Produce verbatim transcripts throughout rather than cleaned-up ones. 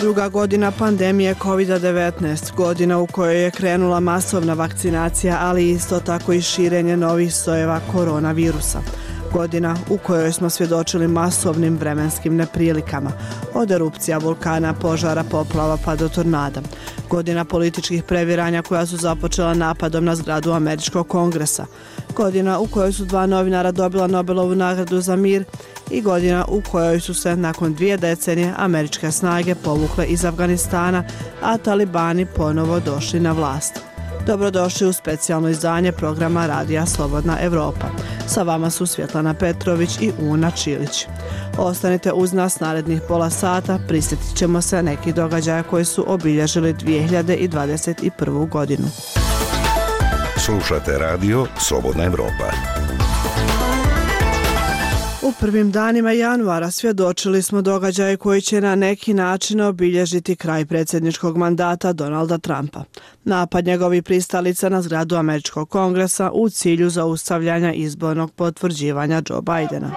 Druga godina pandemije kovid devetnaest, godina u kojoj je krenula masovna vakcinacija, ali isto tako i širenje novih sojeva koronavirusa. Godina u kojoj smo svjedočili masovnim vremenskim neprilikama, od erupcija vulkana, požara, poplava pa do tornada. Godina političkih previranja koja su započela napadom na zgradu Američkog kongresa. Godina u kojoj su dva novinara dobila Nobelovu nagradu za mir i godina u kojoj su se nakon dvije decenije američke snage povukle iz Afganistana, a talibani ponovo došli na vlast. Dobrodošli u specijalno izdanje programa Radija Slobodna Evropa. Sa vama su Svjetlana Petrović i Una Čilić. Ostanite uz nas narednih pola sata, prisjetit ćemo se nekih događaja koji su obilježili dvije hiljade dvadeset prvu. godinu. Slušate Radio Slobodna Evropa. U prvim danima januara svjedočili smo događaje koji će na neki način obilježiti kraj predsjedničkog mandata Donalda Trumpa. Napad njegovih pristalica na zgradu Američkog kongresa u cilju zaustavljanja izbornog potvrđivanja Joe Bidena.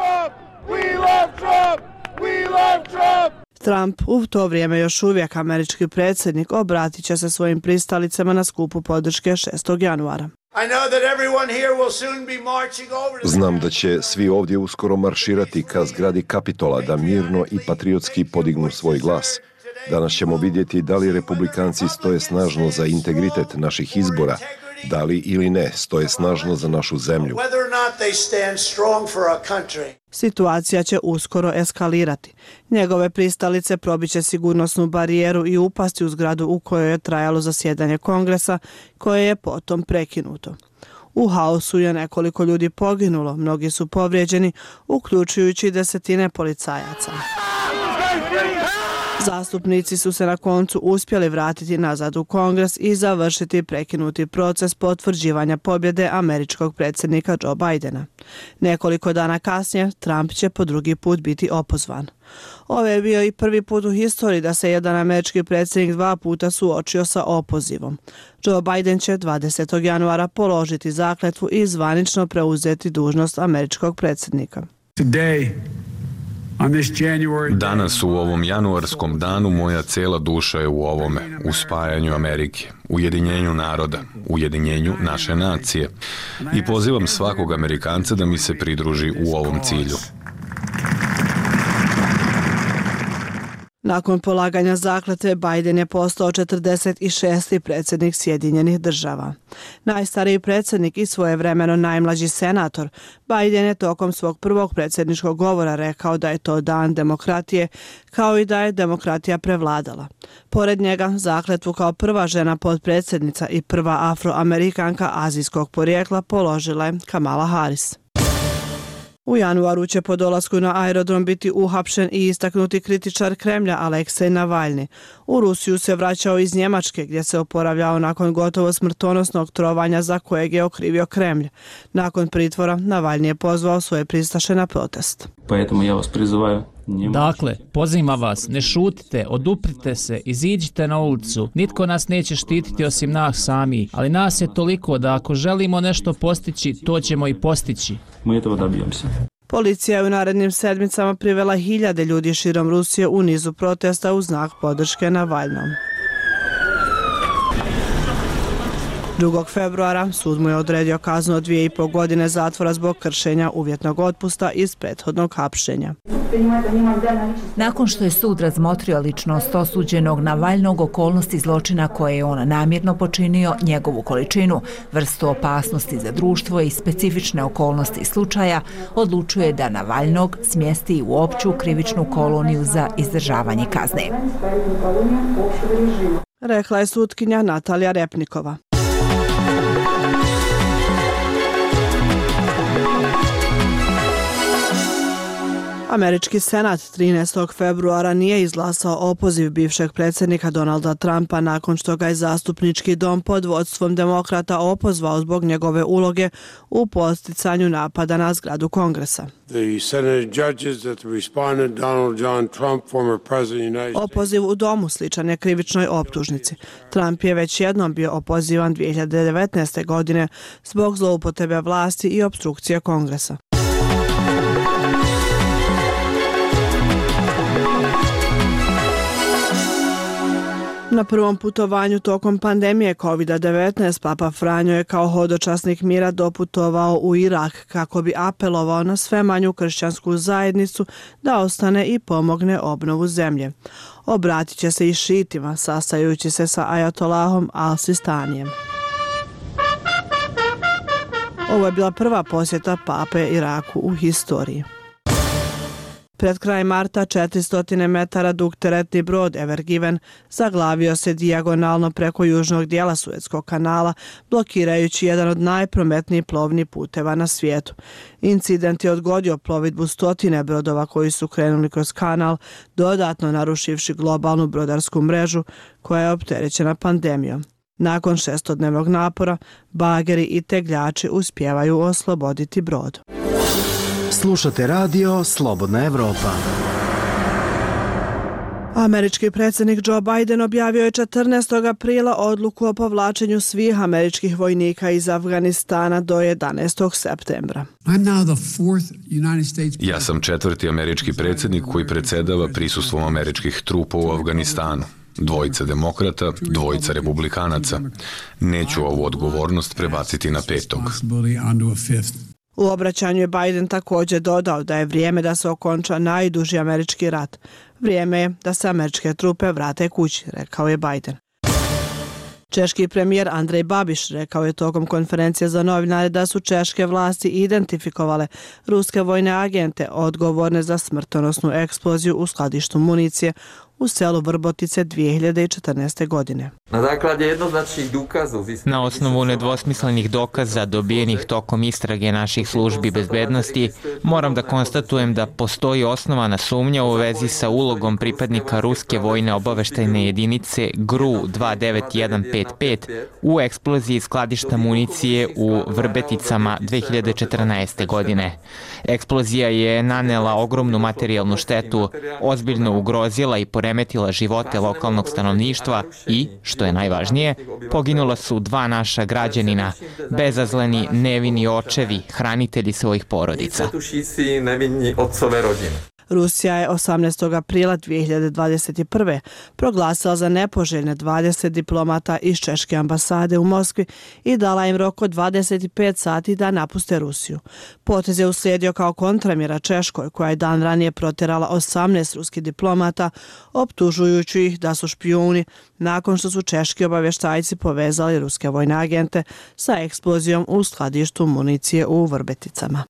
Trump, u to vrijeme još uvijek američki predsjednik, obratit će se svojim pristalicama na skupu podrške šestog januara. Znam da će svi ovdje uskoro marširati ka zgradi Kapitola da mirno i patriotski podignu svoj glas. Danas ćemo vidjeti da li republikanci stoje snažno za integritet naših izbora, da li ili ne stoje snažno za našu zemlju. Situacija će uskoro eskalirati. Njegove pristalice probiće sigurnosnu barijeru i upasti u zgradu u kojoj je trajalo zasjedanje kongresa, koje je potom prekinuto. U haosu je nekoliko ljudi poginulo, mnogi su povrijeđeni, uključujući desetine policajaca. Zastupnici su se na koncu uspjeli vratiti nazad u Kongres i završiti prekinuti proces potvrđivanja pobjede američkog predsjednika Joe Bidena. Nekoliko dana kasnije Trump će po drugi put biti opozvan. Ovo je bio i prvi put u historiji da se jedan američki predsjednik dva puta suočio sa opozivom. Joe Biden će dvadesetog januara položiti zakletvu i zvanično preuzeti dužnost američkog predsjednika. Danas u ovom januarskom danu moja cijela duša je u ovome, u spajanju Amerike, ujedinjenju naroda, ujedinjenju naše nacije. I pozivam svakog Amerikanca da mi se pridruži u ovom cilju. Nakon polaganja zakletve, Biden je postao četrdeset šesti predsjednik Sjedinjenih država. Najstariji predsjednik i svojevremeno najmlađi senator, Biden je tokom svog prvog predsjedničkog govora rekao da je to dan demokratije, kao i da je demokratija prevladala. Pored njega, zakletvu kao prva žena potpredsjednica i prva afroamerikanka azijskog porijekla položila je Kamala Harris. U januaru će po dolasku na aerodrom biti uhapšen i istaknuti kritičar Kremlja Aleksej Navalni. U Rusiju se vraćao iz Njemačke gdje se oporavljao nakon gotovo smrtonosnog trovanja za kojeg je okrivio Kremlj. Nakon pritvora Navalni je pozvao svoje pristaše na protest. Dakle, pozivam vas, ne šutite, oduprite se, iziđite na ulicu. Nitko nas neće štititi osim nas sami, ali nas je toliko da ako želimo nešto postići, to ćemo i postići. Policija je u narednim sedmicama privela hiljade ljudi širom Rusije u nizu protesta u znak podrške Navalnom. drugog februara sud mu je odredio kaznu od dvije i pol godine zatvora zbog kršenja uvjetnog otpusta iz prethodnog hapšenja. Nakon što je sud razmotrio ličnost osuđenog Navalnog, okolnosti zločina koje je on namjerno počinio, njegovu količinu, vrstu opasnosti za društvo i specifične okolnosti slučaja, odlučuje da Navalnog smjesti u opću krivičnu koloniju za izdržavanje kazne. Rekla je sutkinja Natalija Repnikova. Američki senat trinaestog februara nije izglasao opoziv bivšeg predsjednika Donalda Trumpa nakon što ga je zastupnički dom pod vodstvom demokrata opozvao zbog njegove uloge u podsticanju napada na zgradu Kongresa. Opoziv u domu sličan je krivičnoj optužnici. Trump je već jednom bio opozivan dvije hiljade devetnaeste. godine zbog zloupotrebe vlasti i opstrukcije Kongresa. Na prvom putovanju tokom pandemije kovid devetnaest Papa Franjo je kao hodočasnik mira doputovao u Irak kako bi apelovao na sve manju kršćansku zajednicu da ostane i pomogne obnovu zemlje. Obratit će se i šitima, sastajući se sa ajatolahom Al-Sistanijem. Ovo je bila prva posjeta pape Iraku u historiji. Pred kraj marta četiristo metara dug teretni brod Ever Given zaglavio se dijagonalno preko južnog dijela Suetskog kanala, blokirajući jedan od najprometnijih plovnih puteva na svijetu. Incident je odgodio plovidbu stotine brodova koji su krenuli kroz kanal, dodatno narušivši globalnu brodarsku mrežu koja je opterećena pandemijom. Nakon šestodnevnog napora, bageri i tegljači uspijevaju osloboditi brod. Slušate radio Slobodna Evropa. Američki predsjednik Joe Biden objavio je četrnaestog aprila odluku o povlačenju svih američkih vojnika iz Afganistana do jedanaestog septembra. Ja sam četvrti američki predsjednik koji predsjedava prisustvom američkih trupa u Afganistanu. Dvojica demokrata, dvojica republikanaca. Neću ovu odgovornost prebaciti na petog. U obraćanju je Biden također dodao da je vrijeme da se okonča najduži američki rat. Vrijeme je da se američke trupe vrate kući, rekao je Biden. Češki premijer Andrej Babiš rekao je tokom konferencije za novinare da su češke vlasti identifikovale ruske vojne agente odgovorne za smrtonosnu eksploziju u skladištu municije u selu Vrbotice dvije hiljade četrnaeste. godine. Na osnovu nedvosmislenih dokaza dobijenih tokom istrage naših službi bezbednosti, moram da konstatujem da postoji osnovana sumnja u vezi sa ulogom pripadnika ruske vojne obaveštajne jedinice G R U dva devet jedan pet pet u eksploziji skladišta municije u Vrbeticama dvije hiljade četrnaeste. godine. Eksplozija je nanela ogromnu materijalnu štetu, ozbiljno ugrozila i poremetila živote lokalnog stanovništva i, što je najvažnije, poginula su dva naša građanina, bezazleni, nevini očevi, hranitelji svojih porodica. Rusija je osamnaestog aprila dvije hiljade dvadeset prve. proglasila za nepoželjne dvadeset diplomata iz češke ambasade u Moskvi i dala im rok od dvadeset pet sati da napuste Rusiju. Potez je uslijedio kao kontramjera Češkoj, koja je dan ranije protjerala osamnaest ruskih diplomata, optužujući ih da su špijuni nakon što su češki obavještajci povezali ruske vojne agente sa eksplozijom u skladištu municije u Vrbeticama.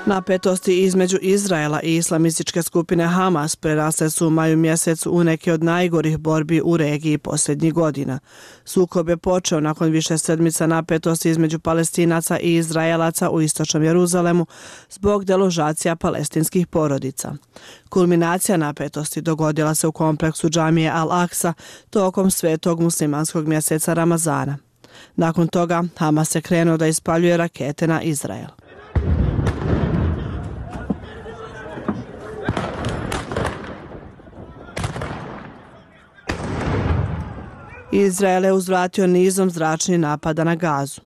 Napetosti između Izraela i islamističke skupine Hamas prerasle su u maju mjesecu u neke od najgorih borbi u regiji posljednjih godina. Sukob je počeo nakon više sedmica napetosti između Palestinaca i Izraelaca u istočnom Jeruzalemu zbog deložacija palestinskih porodica. Kulminacija napetosti dogodila se u kompleksu džamije Al-Aqsa tokom svetog muslimanskog mjeseca Ramazana. Nakon toga Hamas je krenuo da ispaljuje rakete na Izrael. Izrael je uzvratio nizom zračnih napada na Gazu.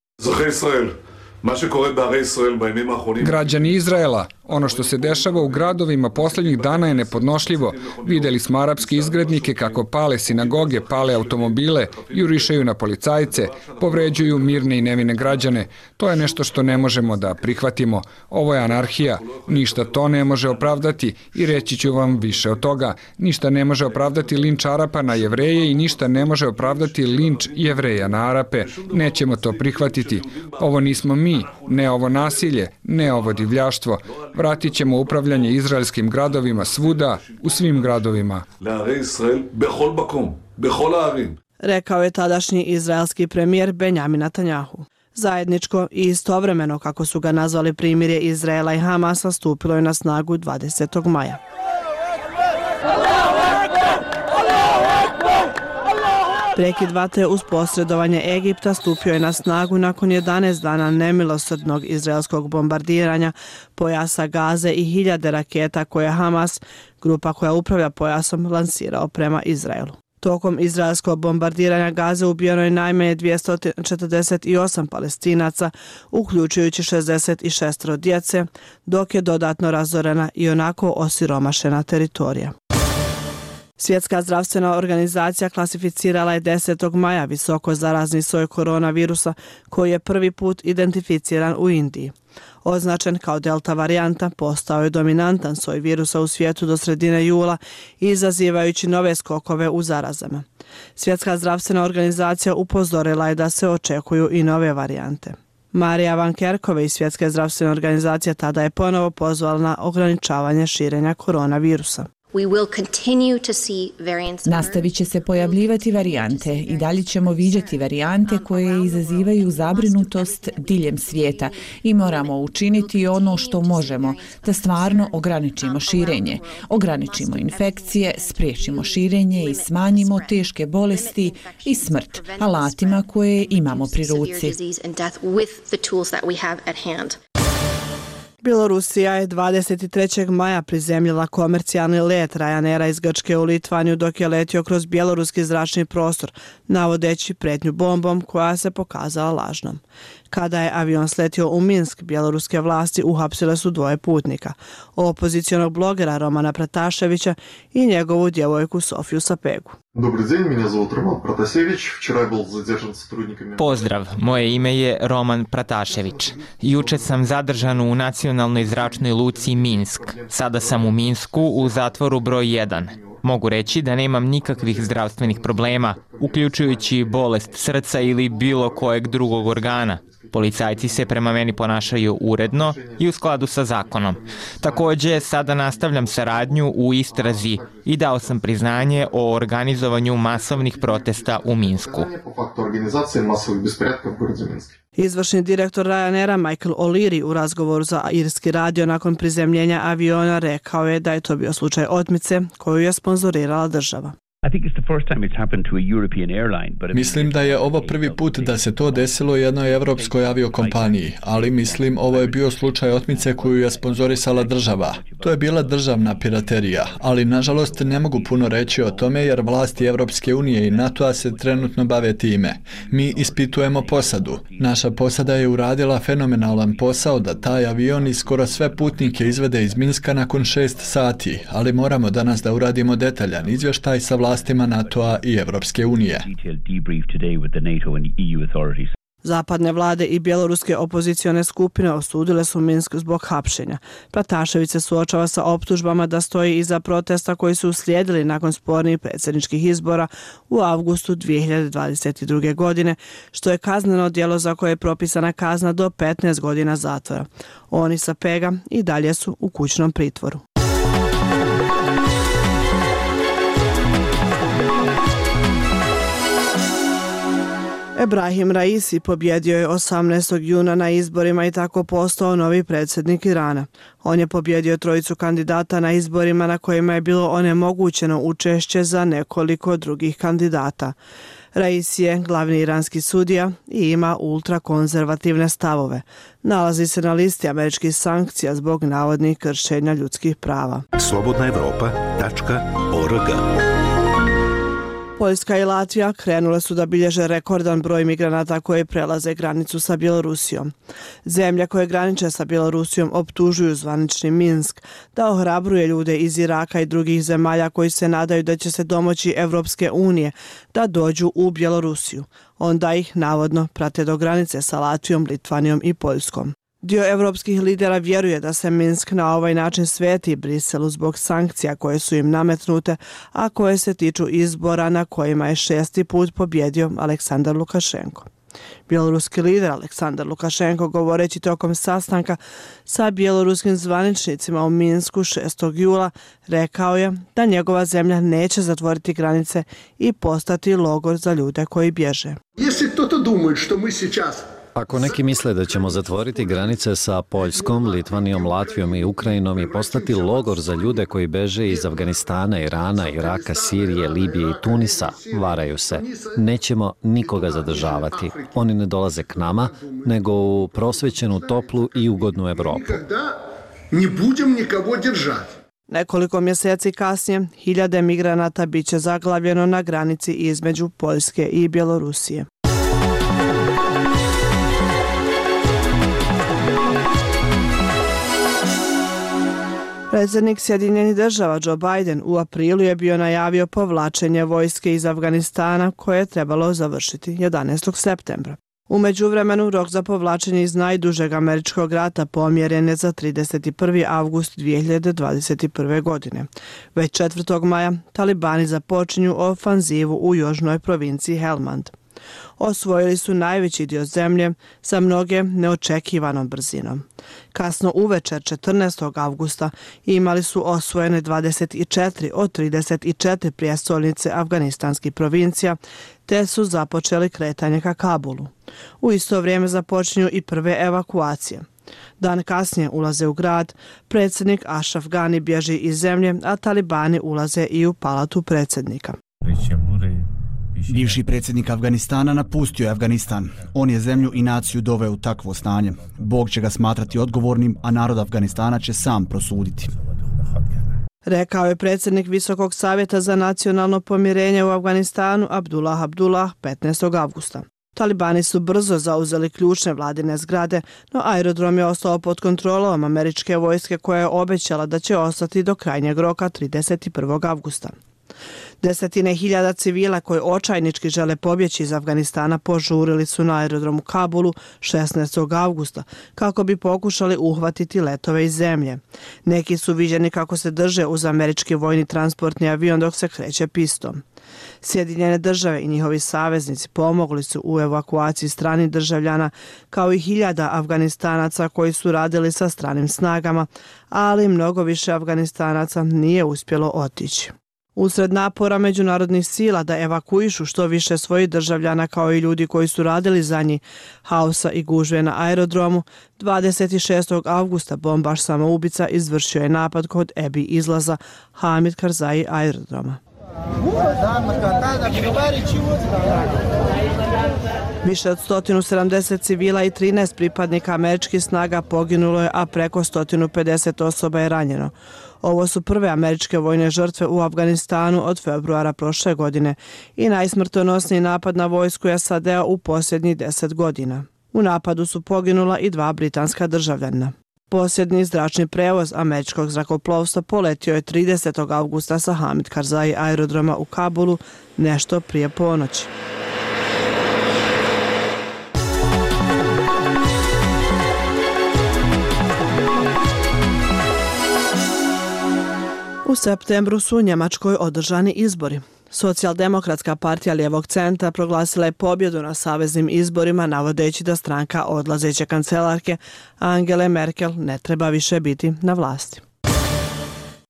Građani Izraela, ono što se dešava u gradovima posljednjih dana je nepodnošljivo. Vidjeli smo arapske izgrednike kako pale sinagoge, pale automobile, jurišaju na policajce, povređuju mirne i nevine građane. To je nešto što ne možemo da prihvatimo. Ovo je anarhija. Ništa to ne može opravdati i reći ću vam više od toga. Ništa ne može opravdati linč Arapa na Jevreje i ništa ne može opravdati linč Jevreja na Arape. Nećemo to prihvatiti. Ovo nismo mi, ne ovo nasilje, ne ovo divljaštvo. Vratit ćemo upravljanje izraelskim gradovima svuda, u svim gradovima. Rekao je tadašnji izraelski premijer Benjamin Netanjahu. Zajedničko i istovremeno, kako su ga nazvali, primirje Izraela i Hamasa stupilo je na snagu dvadesetog maja. Prekid vatre uz posredovanje Egipta stupio je na snagu nakon jedanaest dana nemilosrdnog izraelskog bombardiranja pojasa Gaze i hiljade raketa koje Hamas, grupa koja upravlja pojasom, lansirao prema Izraelu. Tokom izraelskog bombardiranja Gaze ubijeno je najmanje dvjesto četrdeset osam Palestinaca, uključujući šezdeset šest djece, dok je dodatno razorena i onako osiromašena teritorija. Svjetska zdravstvena organizacija klasificirala je desetog maja visoko zarazni soj koronavirusa koji je prvi put identificiran u Indiji. Označen kao delta varijanta, postao je dominantan soj virusa u svijetu do sredine jula, izazivajući nove skokove u zarazama. Svjetska zdravstvena organizacija upozorila je da se očekuju i nove varijante. Marija Van Kerkhove iz Svjetske zdravstvene organizacije tada je ponovo pozvala na ograničavanje širenja koronavirusa. Nastavit će se pojavljivati varijante i dalje ćemo viđati varijante koje izazivaju zabrinutost diljem svijeta i moramo učiniti ono što možemo da stvarno ograničimo širenje, ograničimo infekcije, spriječimo širenje i smanjimo teške bolesti i smrt alatima koje imamo pri ruci. Bjelorusija je dvadeset trećeg maja prizemljila komercijalni let Ryanaira iz Grčke u Litvaniju dok je letio kroz bjeloruski zračni prostor, navodeći pretnju bombom koja se pokazala lažnom. Kada je avion sletio u Minsk, bjeloruske vlasti uhapsile su dvoje putnika, opozicionog blogera Romana Prataševića i njegovu djevojku Sofiju Sapegu. Pozdrav, moje ime je Roman Pratašević. Juče sam zadržan u nacionalnoj zračnoj luci Minsk. Sada sam u Minsku u zatvoru broj jedan. Mogu reći da nemam nikakvih zdravstvenih problema, uključujući bolest srca ili bilo kojeg drugog organa. Policajci se prema meni ponašaju uredno i u skladu sa zakonom. Također, sada nastavljam saradnju u istrazi i dao sam priznanje o organizovanju masovnih protesta u Minsku. Izvršni direktor Ryanaira Michael O'Leary u razgovoru za irski radio nakon prizemljenja aviona rekao je da je to bio slučaj otmice koju je sponzorirala država. Mislim da je ovo prvi put da se to desilo jednoj evropskoj aviokompaniji, ali mislim ovo je bio slučaj otmice koju je sponzorisala država. To je bila državna piraterija, ali nažalost ne mogu puno reći o tome jer vlasti Evropske unije i NATO-a se trenutno bave time. Mi ispitujemo posadu. Naša posada je uradila fenomenalan posao da taj avion i skoro sve putnike izvede iz Minska nakon šest sati, ali moramo danas da uradimo detaljan izvještaj sa vlastima NATO-a i Evropske unije. Zapadne vlade i bjeloruske opozicione skupine osudile su Minsk zbog hapšenja. Pratašević se suočava sa optužbama da stoji iza protesta koji su uslijedili nakon spornih predsjedničkih izbora u avgustu dvije hiljade dvadeset druge. godine, što je kazneno djelo za koje je propisana kazna do petnaest godina zatvora. Oni sa Pega i dalje su u kućnom pritvoru. Ebrahim Raisi pobjedio je osamnaestog juna na izborima i tako postao novi predsjednik Irana. On je pobjedio trojicu kandidata na izborima na kojima je bilo onemogućeno učešće za nekoliko drugih kandidata. Raisi je glavni iranski sudija i ima ultrakonzervativne stavove. Nalazi se na listi američkih sankcija zbog navodnih kršenja ljudskih prava. slobodna evropa tačka org. Poljska i Latvija krenule su da bilježe rekordan broj migranata koji prelaze granicu sa Bjelorusijom. Zemlje koje graniče sa Bjelorusijom optužuju zvanični Minsk da ohrabruje ljude iz Iraka i drugih zemalja koji se nadaju da će se domoći Evropske unije da dođu u Bjelorusiju. Onda ih navodno prate do granice sa Latvijom, Litvanijom i Poljskom. Dio evropskih lidera vjeruje da se Minsk na ovaj način sveti Briselu zbog sankcija koje su im nametnute, a koje se tiču izbora na kojima je šesti put pobjedio Aleksandar Lukašenko. Bjeloruski lider Aleksandar Lukašenko, govoreći tokom sastanka sa bjeloruskim zvaničnicima u Minsku šestog jula, rekao je da njegova zemlja neće zatvoriti granice i postati logor za ljude koji bježe. Ako neki misle da ćemo zatvoriti granice sa Poljskom, Litvanijom, Latvijom i Ukrajinom i postati logor za ljude koji beže iz Afganistana, Irana, Iraka, Sirije, Libije i Tunisa, varaju se. Nećemo nikoga zadržavati. Oni ne dolaze k nama, nego u prosvećenu, toplu i ugodnu Evropu. Nekoliko mjeseci kasnije, hiljade migranata biće zaglavljeno na granici između Poljske i Bjelorusije. Predsjednik Sjedinjenih država Joe Biden u aprilu je bio najavio povlačenje vojske iz Afganistana koje je trebalo završiti jedanaestog septembra. U međuvremenu rok za povlačenje iz najdužeg američkog rata pomjeren je za trideset prvi avgust dvije hiljade dvadeset prve. godine. Već četvrtog maja talibani započinju ofanzivu u južnoj provinciji Helmand. Osvojili su najveći dio zemlje sa mnoge neočekivanom brzinom. Kasno uvečer četrnaestog avgusta imali su osvojene dvadeset četiri od trideset četiri prijestolnice afganistanskih provincija, te su započeli kretanje ka Kabulu. U isto vrijeme započinju i prve evakuacije. Dan kasnije ulaze u grad, predsjednik Ashraf Ghani bježi iz zemlje, a talibani ulaze i u palatu predsjednika. Bivši predsjednik Afganistana napustio je Afganistan. On je zemlju i naciju doveo u takvo stanje. Bog će ga smatrati odgovornim, a narod Afganistana će sam prosuditi. Rekao je predsjednik Visokog savjeta za nacionalno pomirenje u Afganistanu Abdullah Abdullah petnaestog avgusta. Talibani su brzo zauzeli ključne vladine zgrade, no aerodrom je ostao pod kontrolom američke vojske koja je obećala da će ostati do krajnjeg roka trideset prvog avgusta. Desetine hiljada civila koji očajnički žele pobjeći iz Afganistana požurili su na aerodromu Kabulu šesnaestog avgusta kako bi pokušali uhvatiti letove iz zemlje. Neki su viđeni kako se drže uz američki vojni transportni avion dok se kreće pistom. Sjedinjene države i njihovi saveznici pomogli su u evakuaciji stranih državljana kao i hiljada Afganistanaca koji su radili sa stranim snagama, ali mnogo više Afganistanaca nije uspjelo otići. Usred napora međunarodnih sila da evakuišu što više svojih državljana kao i ljudi koji su radili za njih, haosa i gužve na aerodromu, dvadeset šestog avgusta bombaš samoubica izvršio je napad kod Ebi izlaza Hamid Karzai aerodroma. Više od sto sedamdeset civila i trinaest pripadnika američkih snaga poginulo je, a preko sto pedeset osoba je ranjeno. Ovo su prve američke vojne žrtve u Afganistanu od februara prošle godine i najsmrtonosniji napad na vojsku S A D-a u posljednjih deset godina. U napadu su poginula i dva britanska državljana. Posljednji zračni prevoz američkog zrakoplovstva poletio je tridesetog avgusta sa Hamid Karzai aerodroma u Kabulu nešto prije ponoći. U septembru su u Njemačkoj održani izbori. Socijaldemokratska partija lijevog centra proglasila je pobjedu na saveznim izborima, navodeći da stranka odlazeće kancelarke Angele Merkel ne treba više biti na vlasti.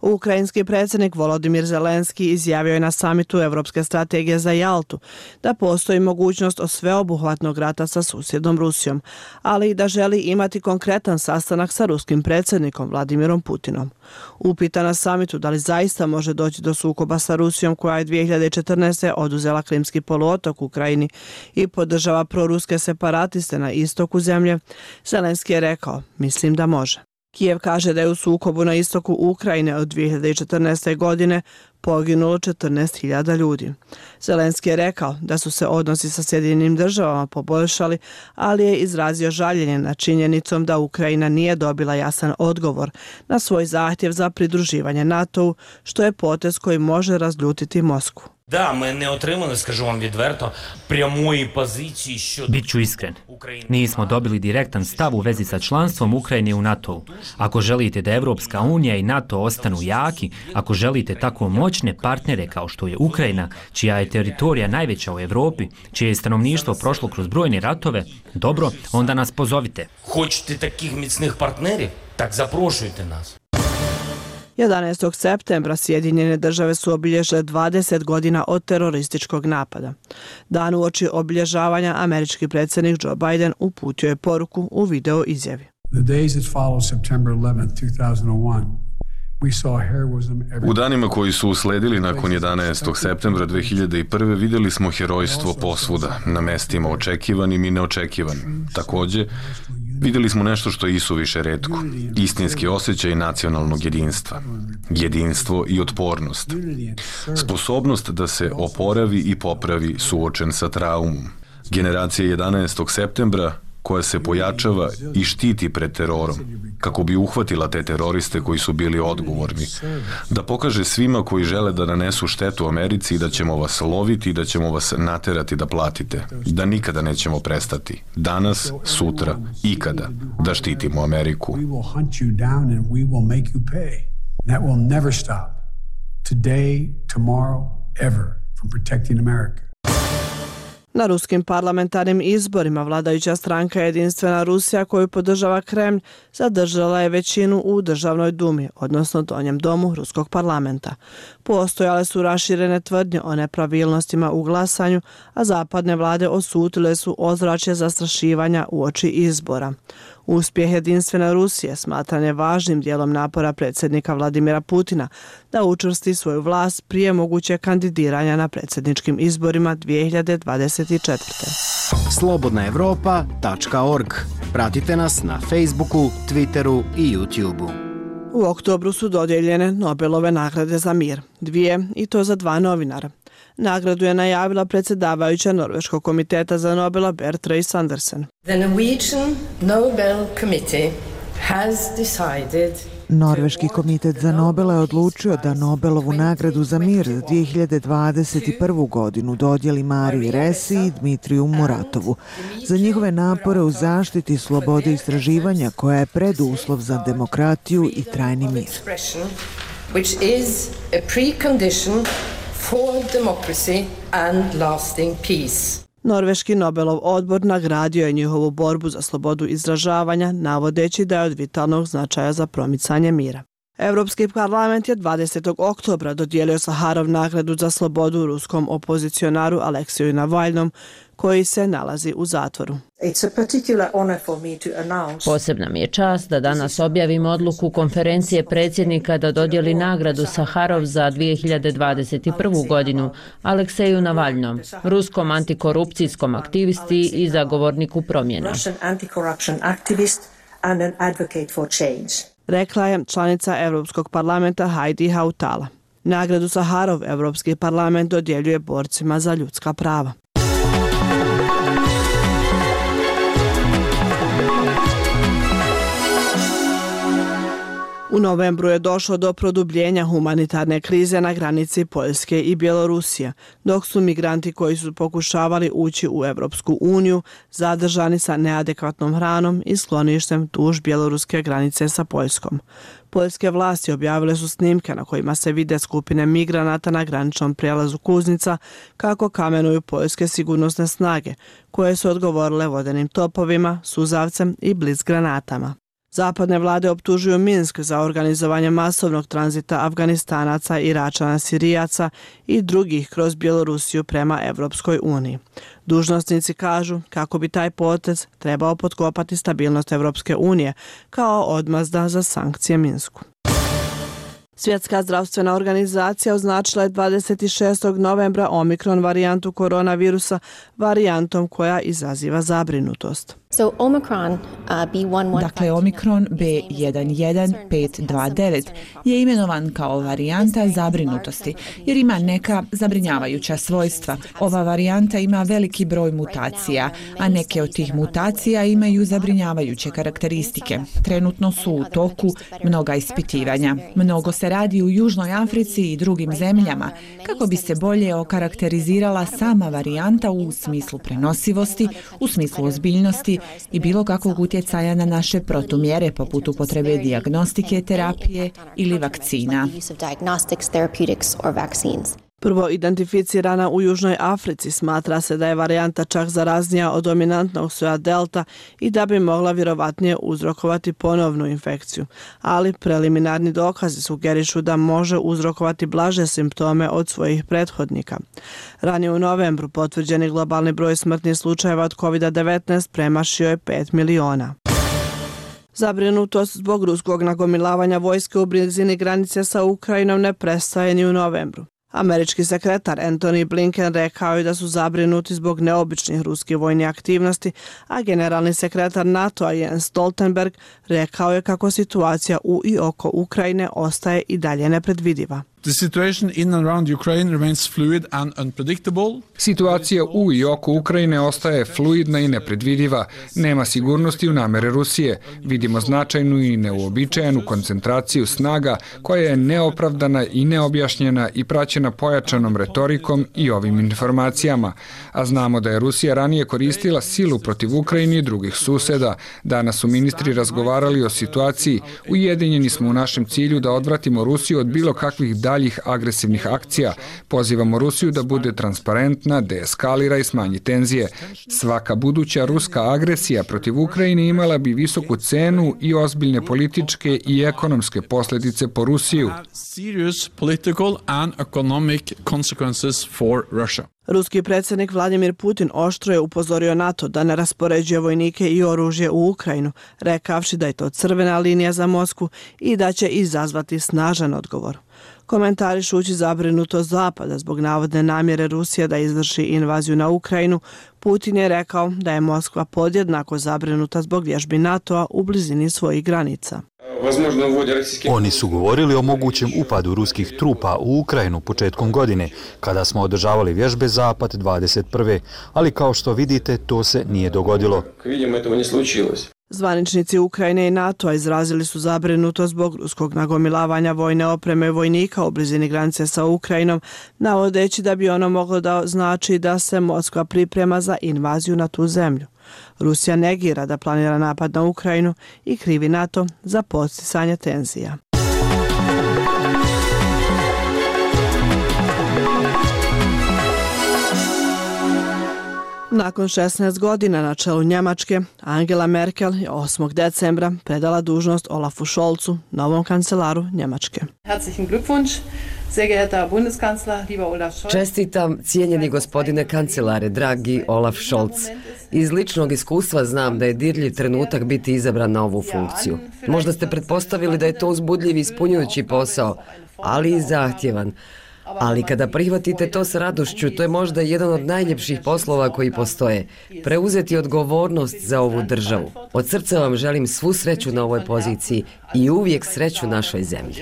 Ukrajinski predsjednik Volodimir Zelenski izjavio je na samitu Europske strategije za Jaltu da postoji mogućnost o sveobuhvatnog rata sa susjednom Rusijom, ali i da želi imati konkretan sastanak sa ruskim predsjednikom Vladimirom Putinom. Upita na samitu da li zaista može doći do sukoba sa Rusijom koja je dvije hiljade četrnaeste. oduzela Krimski poluotok Ukrajini i podržava proruske separatiste na istoku zemlje, Zelenski je rekao: mislim da može. Kijev kaže da je u sukobu na istoku Ukrajine od dvije hiljade četrnaeste. godine poginulo četrnaest hiljada ljudi. Zelenski je rekao da su se odnosi sa Sjedinjenim državama poboljšali, ali je izrazio žaljenje nad činjenicom da Ukrajina nije dobila jasan odgovor na svoj zahtjev za pridruživanje NATO-u, što je potez koji može razljutiti Moskvu. Da, ми не отримали, скажу вам відверто, прямої позиції щодо... Biću iskren. Nismo dobili direktan stav u vezi sa članstvom Ukrajine u NATO-u. Ako želite da Evropska unija i NATO ostanu jaki, ako želite tako moćne partnere kao što je Ukrajina, čija je teritorija najveća u Evropi, čije je stanovništvo prošlo kroz brojne ratove, dobro, onda nas pozovite. Hoćete takih micnih partnerів? Tak запрошуйте nas. jedanaestog septembra Sjedinjene države su obilježile dvadeset godina od terorističkog napada. Dan uoči obilježavanja američki predsjednik Joe Biden uputio je poruku u video izjavi. U danima koji su usledili nakon jedanaestog septembra dvije hiljade prve. vidjeli smo herojstvo posvuda, na mestima očekivanim i neočekivanim. Također, Vidjeli smo nešto što je isuviše retko. Istinski osjećaj nacionalnog jedinstva. Jedinstvo i otpornost. Sposobnost da se oporavi i popravi suočen sa traumom. Generacija jedanaestog septembra koja se pojačava i štiti pred terorom, kako bi uhvatila te teroriste koji su bili odgovorni. Da pokaže svima koji žele da nanesu štetu Americi da ćemo vas loviti i da ćemo vas naterati da platite. Da nikada nećemo prestati. Danas, sutra, ikada da štitimo Ameriku. Na ruskim parlamentarnim izborima vladajuća stranka Jedinstvena Rusija, koju podržava Kremlj, zadržala je većinu u Državnoj dumi, odnosno donjem domu ruskog parlamenta. Postojale su raširene tvrdnje o nepravilnostima u glasanju, a zapadne vlade osutile su ozračje zastrašivanja uoči izbora. Uspjeh Jedinstvene Rusije smatran je važnim dijelom napora predsjednika Vladimira Putina da učvrsti svoju vlast prije mogućeg kandidiranja na predsjedničkim izborima dvije hiljade dvadeset četvrte. slobodna evropa tačka org. Pratite nas na Facebooku, Twitteru i YouTubeu. U oktobru su dodijeljene Nobelove nagrade za mir, dvije i to za dva novinara. Nagradu je najavila predsjedavajuća Norveškog komiteta za Nobela Berit Andersen. The Norwegian Nobel Committee has decided Norveški komitet za Nobela je odlučio da Nobelovu nagradu za mir za dvije hiljade dvadeset prvu. godinu dodijeli Mariji Resi i Dmitriju Muratovu za njihove napore u zaštiti slobode istraživanja koja je preduslov za demokratiju i trajni mir. Which is a precondition for democracy and lasting peace. Norveški Nobelov odbor nagradio je njihovu borbu za slobodu izražavanja, navodeći da je od vitalnog značaja za promicanje mira. Europski parlament je dvadesetog oktobra dodijelio Saharov nagradu za slobodu ruskom opozicionaru Aleksiju Navalnom, koji se nalazi u zatvoru. Posebna mi je čast da danas objavim odluku konferencije predsjednika da dodijeli nagradu Saharov za dvije hiljade dvadeset prvu. godinu Alekseju Navalnom, ruskom antikorupcijskom aktivisti i zagovorniku promjena. Rekla je članica Europskog parlamenta Heidi Hautala. Nagradu Saharov Europski parlament dodjeljuje borcima za ljudska prava. U novembru je došlo do produbljenja humanitarne krize na granici Poljske i Bjelorusije, dok su migranti koji su pokušavali ući u Europsku uniju zadržani sa neadekvatnom hranom i skloništem duž bjeloruske granice sa Poljskom. Poljske vlasti objavile su snimke na kojima se vide skupine migranata na graničnom prijelazu Kuznica kako kamenuju poljske sigurnosne snage, koje su odgovorile vodenim topovima, suzavcem i blic granatama. Zapadne vlade optužuju Minsk za organizovanje masovnog tranzita Afganistanaca, Iračana, Sirijaca i drugih kroz Bjelorusiju prema Evropskoj uniji. Dužnosnici kažu kako bi taj potez trebao potkopati stabilnost Evropske unije kao odmazda za sankcije Minsku. Svjetska zdravstvena organizacija označila je dvadeset šestog novembra omikron varijantu koronavirusa varijantom koja izaziva zabrinutost. So Omicron, uh, B one one Dakle, Omikron B jedan jedan pet dva devet je imenovan kao varijanta zabrinutosti jer ima neka zabrinjavajuća svojstva. Ova varijanta ima veliki broj mutacija, a neke od tih mutacija imaju zabrinjavajuće karakteristike. Trenutno su u toku mnoga ispitivanja. Mnogo se radi u Južnoj Africi i drugim zemljama kako bi se bolje okarakterizirala sama varijanta u smislu prenosivosti, u smislu ozbiljnosti i bilo kakvog utjecaja na naše protumjere poput upotrebe dijagnostike, terapije ili vakcina. Prvo identificirana u Južnoj Africi, smatra se da je varijanta čak zaraznija od dominantnog soja delta i da bi mogla vjerovatnije uzrokovati ponovnu infekciju, ali preliminarni dokazi sugerišu da može uzrokovati blaže simptome od svojih prethodnika. Ranije u novembru potvrđeni globalni broj smrtnih slučajeva od kovid devetnaest premašio je pet miliona. Zabrinutost zbog ruskog nagomilavanja vojske u blizini granice sa Ukrajinom ne prestaje ni u novembru. Američki sekretar Antony Blinken rekao je da su zabrinuti zbog neobičnih ruskih vojnih aktivnosti, a generalni sekretar NATO-a Jens Stoltenberg rekao je kako situacija u i oko Ukrajine ostaje i dalje nepredvidiva. The situation in and around Ukraine remains fluid and unpredictable. Situacija u i oko Ukrajine ostaje fluidna i nepredvidiva. Nema sigurnosti u namere Rusije. Vidimo značajnu i neuobičajenu koncentraciju snaga koja je neopravdana i neobjašnjena i praćena pojačanom retorikom i ovim informacijama. A znamo da je Rusija ranije koristila silu protiv Ukrajine i drugih suseda. Danas su ministri razgovarali o situaciji. Ujedinjeni smo u našem cilju da odvratimo Rusiju od bilo kakvih daljih agresivnih akcija. Pozivamo Rusiju da bude transparentna, deeskalira i smanji tenzije. Svaka buduća ruska agresija protiv Ukrajine imala bi visoku cenu i ozbiljne političke i ekonomske posljedice po Rusiju. Serious political and economic consequences for Russia. Ruski predsjednik Vladimir Putin oštro je upozorio NATO da ne raspoređuje vojnike i oružje u Ukrajinu, rekavši da je to crvena linija za Moskvu i da će izazvati snažan odgovor. Komentarišući zabrinutost Zapada zbog navodne namjere Rusije da izvrši invaziju na Ukrajinu, Putin je rekao da je Moskva podjednako zabrinuta zbog vježbi NATO-a u blizini svojih granica. Oni su govorili o mogućem upadu ruskih trupa u Ukrajinu početkom godine, kada smo održavali vježbe Zapad dvadeset prve. Ali kao što vidite, to se nije dogodilo. Zvaničnici Ukrajine i NATO-a izrazili su zabrinutost zbog ruskog nagomilavanja vojne opreme i vojnika u blizini granice sa Ukrajinom, navodeći da bi ono moglo da znači da se Moskva priprema za invaziju na tu zemlju. Rusija negira da planira napad na Ukrajinu i krivi NATO za podsticanje tenzija. Nakon šesnaest godina na čelu Njemačke, Angela Merkel je osmog decembra predala dužnost Olafu Scholzu, novom kancelaru Njemačke. Herzlichen Glückwunsch, sehr geehrter Bundeskanzler, lieber Olaf Scholz. Čestitam, cijenjeni gospodine kancelare, dragi Olaf Scholz. Iz ličnog iskustva znam da je dirljiv trenutak biti izabran na ovu funkciju. Možda ste pretpostavili da je to uzbudljiv i ispunjujući posao, ali i zahtjevan. Ali kada prihvatite to s radošću, to je možda jedan od najljepših poslova koji postoje. Preuzeti odgovornost za ovu državu. Od srca vam želim svu sreću na ovoj poziciji i uvijek sreću našoj zemlji.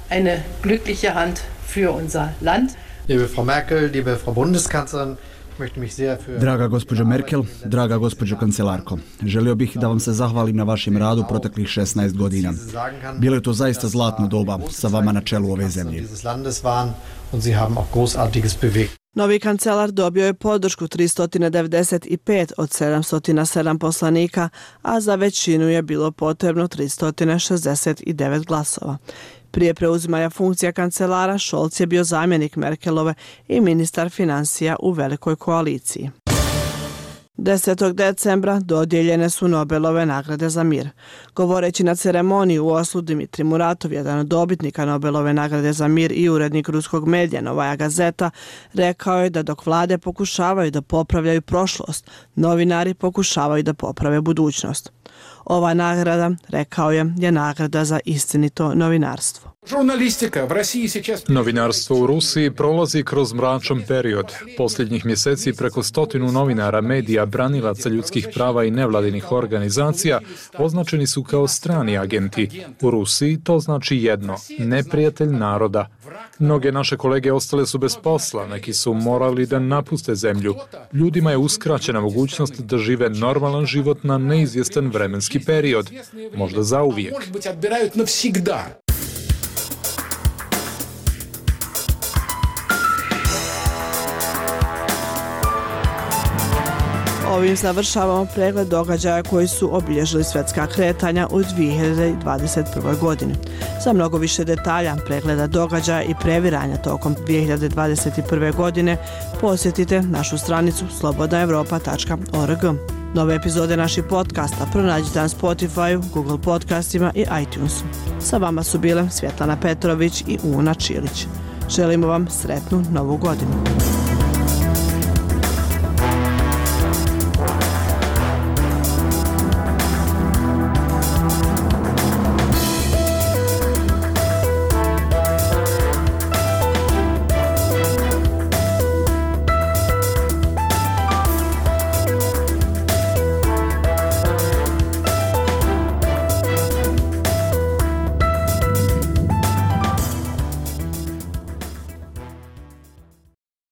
Eine glückliche Hand für unser Land. Liebe Frau Merkel, liebe Frau Bundeskanzlerin, Draga gospođo Merkel, draga gospođo kancelarko, želio bih da vam se zahvalim na vašem radu proteklih šesnaest godina. Bilo je to zaista zlatno doba sa vama na čelu ove zemlje. Novi kancelar dobio je podršku tristo devedeset pet od sedamsto sedam poslanika, a za većinu je bilo potrebno tristo šezdeset devet glasova. Prije preuzimanja funkcija kancelara, Scholz je bio zamjenik Merkelove i ministar financija u velikoj koaliciji. desetog decembra dodijeljene su Nobelove nagrade za mir. Govoreći na ceremoniji u Oslu, Dmitrij Muratov, jedan od dobitnika Nobelove nagrade za mir i urednik ruskog medija Novaja Gazeta, rekao je da dok vlade pokušavaju da popravljaju prošlost, novinari pokušavaju da poprave budućnost. Ova nagrada, rekao je, je nagrada za istinito novinarstvo. Novinarstvo u Rusiji prolazi kroz mračan period. Posljednjih mjeseci preko stotinu novinara, medija, branilaca ljudskih prava i nevladinih organizacija označeni su kao strani agenti. U Rusiji to znači jedno, neprijatelj naroda. Mnoge naše kolege ostale su bez posla, neki su morali da napuste zemlju. Ljudima je uskraćena mogućnost da žive normalan život na neizvjestan vremenski period, možda zauvijek. Ovim završavamo pregled događaja koji su obilježili svjetska kretanja u dvije hiljade dvadeset prvoj. godini. Za mnogo više detalja, pregleda događaja i previranja tokom dvije hiljade dvadeset prve. godine posjetite našu stranicu slobodna europa tačka org. Nove epizode naših podcasta pronađite na Spotify, Google podcastima i iTunesu. Sa vama su bile Svjetlana Petrović i Una Čilić. Želimo vam sretnu novu godinu.